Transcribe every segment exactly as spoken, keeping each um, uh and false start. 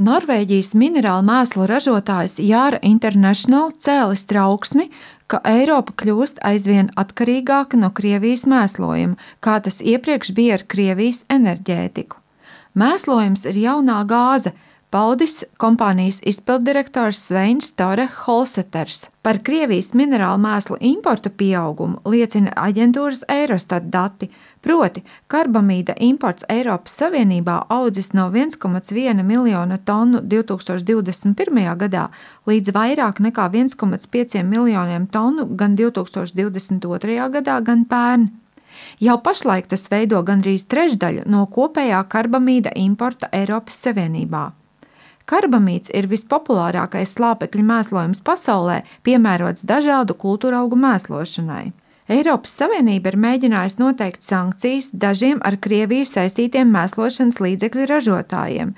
Norvēģijas minerālu mēslu ražotājs Yara International cēlis trauksmi, ka Eiropa kļūst aizvien atkarīgāka no Krievijas mēslojuma, kā tas iepriekš bija ar Krievijas enerģētiku. Mēslojums ir jaunā gāze, paudis kompānijas izpilddirektors Sveins Tore Holseters. Par Krievijas minerālu mēslu importu pieaugumu liecina aģentūras Eurostat dati, proti karbamīda imports Eiropas Savienībā audzis no viens komats viens miljona tonu divtūkstoš divdesmit pirmajā gadā līdz vairāk nekā viens komats pieci miljoniem tonu gan divtūkstoš divdesmit otrajā gadā, gan pērn. Jau pašlaik tas veido gandrīz trešdaļu no kopējā karbamīda importa Eiropas Savienībā. Karbamīds ir vispopulārākais slāpekļa mēslojums pasaulē, piemērots dažādu kultūraugu mēslošanai. Eiropas Savienība ir mēģinājusi noteikt sankcijas dažiem ar Krieviju saistītiem mēslošanas līdzekļu ražotājiem,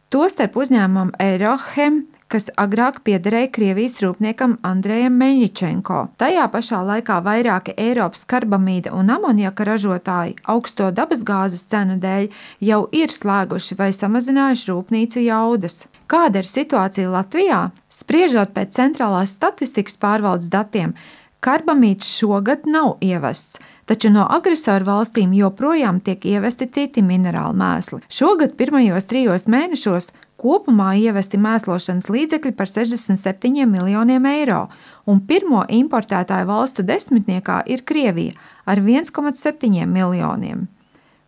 tostarp uzņēmumam Eurochem, kas agrāk piederēja Krievijas rūpniekam Andrejam Meļņičenko. Tajā pašā laikā vairāki Eiropas karbamīda un amoniaka ražotāji augsto dabasgāzes cenu dēļ jau ir slēguši vai samazinājuši rūpnīcu jaudas. Kāda ir situācija Latvijā? Spriežot pēc centrālās statistikas pārvaldes datiem, karbamīds šogad nav ievests, taču no agresoru valstīm joprojām tiek ievesti citi minerālu mēsli. Šogad pirmajos trijos mēnešos kopumā ievesti mēslošanas līdzekļi par sešdesmit septiņiem miljoniem eiro, un pirmo importētāju valstu desmitniekā ir Krievija ar viens komats septiņi miljoniem.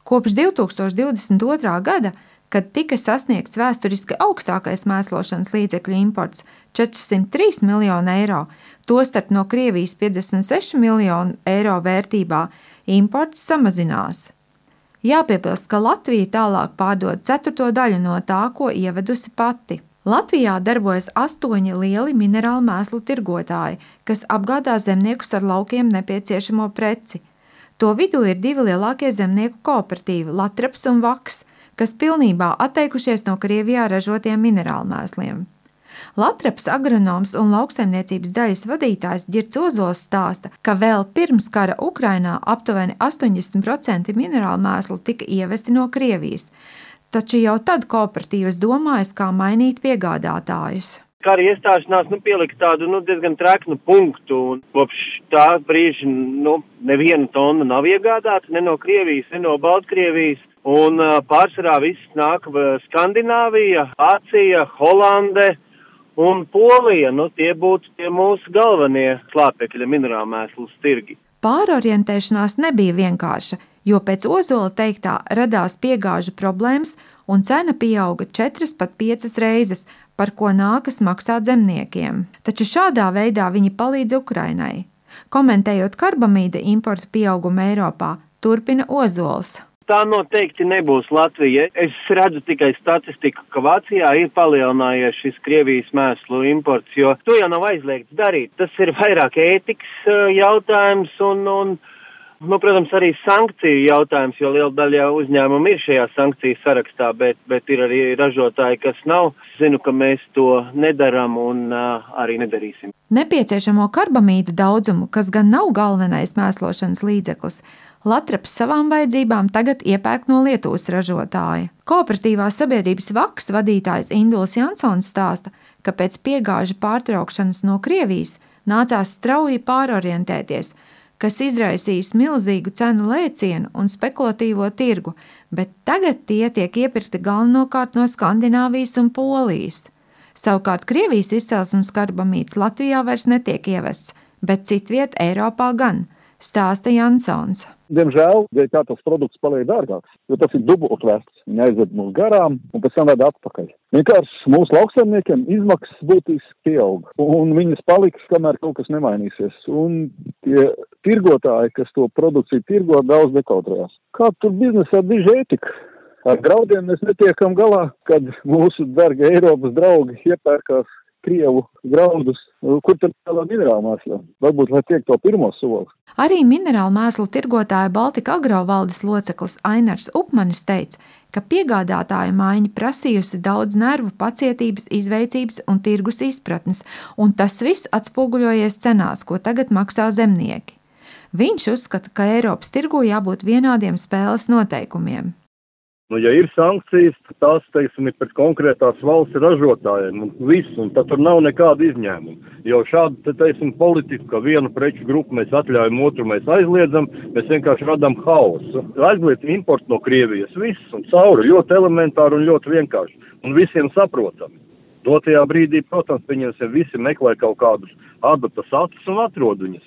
Kopš divtūkstoš divdesmit otrā gada, kad tika sasniegts vēsturiski augstākais mēslošanas līdzekļu imports četrsimt trīs miljoni eiro, tostarp no Krievijas piecdesmit seši miljoni eiro vērtībā, imports samazinās. Jāpiebilst, ka Latvija tālāk pārdod ceturto daļu no tā, ko ievedusi pati. Latvijā darbojas astoņi lieli minerālu mēslu tirgotāji, kas apgādā zemniekus ar laukiem nepieciešamo preci. To vidū ir divi lielākie zemnieku kooperatīvi – Latraps un Vaks, kas pilnībā atteikušies no Krievijā ražotiem minerālu mēsliem. Latraps agronoms un lauksaimniecības daļas vadītājs Ģirds Ozols stāsta, ka vēl pirms kara Ukrainā aptuveni astoņdesmit procenti minerālu mēslu tika ievesti no Krievijas, taču jau tad kooperatīvas domājas, kā mainīt piegādātājus. Kara iestāšanās nu, pielika tādu nu, diezgan treknu punktu, un kopš tā brīža nu, neviena tonna nav iegādāta ne no Krievijas, ne no Baltkrievijas, un uh, pārsvarā viss nāk Skandināvija, Vācija, Holande un Polija. Nu, tie būtu tie mūsu galvenie slāpekļa minerālu mēslu tirgi. Pārorientēšanās nebija vienkārša, jo pēc Ozola teiktā radās piegāžu problēmas un cena pieauga četras pat piecas reizes, par ko nākas maksāt zemniekiem. Taču šādā veidā viņi palīdz Ukrainai. Komentējot karbamīda importu pieaugumu Eiropā, turpina Ozols. Tā noteikti nebūs Latvija. Es redzu tikai statistiku, ka Vācijā ir palielinājies šis Krievijas mēslu imports, jo to jau nav aizliegts darīt. Tas ir vairāk ētikas jautājums un, un nu, protams, arī sankciju jautājums, jo liela daļa uzņēmumu ir šajā sankciju sarakstā, bet, bet ir arī ražotāji, kas nav. Zinu, ka mēs to nedaram un uh, arī nedarīsim. Nepieciešamo karbamīdu daudzumu, kas gan nav galvenais mēslošanas līdzeklis, Latraps savām vajadzībām tagad iepērk no Lietuvas ražotāja. Kooperatīvās sabiedrības Vaks vadītājs Induls Jansons stāsta, ka pēc piegāžu pārtraukšanas no Krievijas nācās strauji pārorientēties, kas izraisīs milzīgu cenu lēcienu un spekulatīvo tirgu, bet tagad tie tiek iepirkti galvenokārt no Skandināvijas un Polijas. Savukārt Krievijas izcelsmes karbamīds Latvijā vairs netiek ievests, bet citviet Eiropā gan, stāsta Jansons. Diemžēl, dēļ kā tas produkts paliek dārgāks, jo tas ir dubultvērts. Viņi aizved mūs garām un pēc tam vēd atpakaļ. Vienkārši mūsu lauksaimniekiem izmaksas būtiski pieaug, un viņas paliks, kamēr kaut kas nemainīsies. Un tie tirgotāji, kas to produkciju tirgo, daudz dekautrējās. Kā tur biznesā diži ētika? Ar graudiem mēs netiekam galā, kad mūsu dargi Eiropas draugi iepērkās Krievu graudus, kur tad tādā minerālu mēslā. Varbūt, lai tiek to pirmo soli. Arī minerālu mēslu tirgotāja Baltika Agro valdes loceklis Ainars Upmanis teica, ka piegādātāja maiņa prasījusi daudz nervu, pacietības, izveicības un tirgus izpratnes, un tas viss atspoguļojies cenās, ko tagad maksā zemnieki. Viņš uzskata, ka Eiropas tirgū jābūt vienādiem spēles noteikumiem. Nu, ja ir sankcijas, tad tās, teiksim, ir pret konkrētās valsts ražotājiem un viss, un tad tur nav nekāda izņēmuma. Jo šādu, te, teiksim, politiku, ka vienu preču grupu mēs atļaujam, otru mēs aizliedzam, mēs vienkārši radām haosu. Aizliedz importu no Krievijas, viss, un cauri, ļoti elementāri un ļoti vienkārši, un visiem saprotami. Dotajā brīdī, protams, pieņemsim, visi meklē kaut kādus adatas acis un atrod viņas.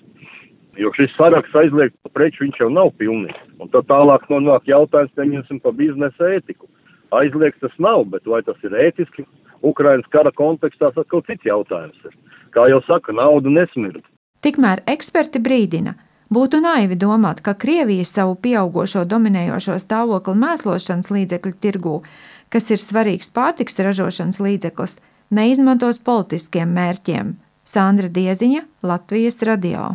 Jo šis saraksts aizliegto preču viņš jau nav pilnīgs. Un tad tālāk nonāk jautājums, pieņemsim, par biznesa ētiku. Aizliegts tas nav, bet vai tas ir ētiski? Ukrainas kara kontekstā tas kaut cits jautājums ir. Kā jau saka, nauda nesmird. Tikmēr eksperti brīdina, būtu naivi domāt, ka Krievija savu pieaugošo dominējošo stāvokli mēslošanas līdzekļu tirgū, kas ir svarīgs pārtiks ražošanas līdzeklis, neizmantos politiskiem mērķiem. Sandra Dieziņa, Latvijas radio.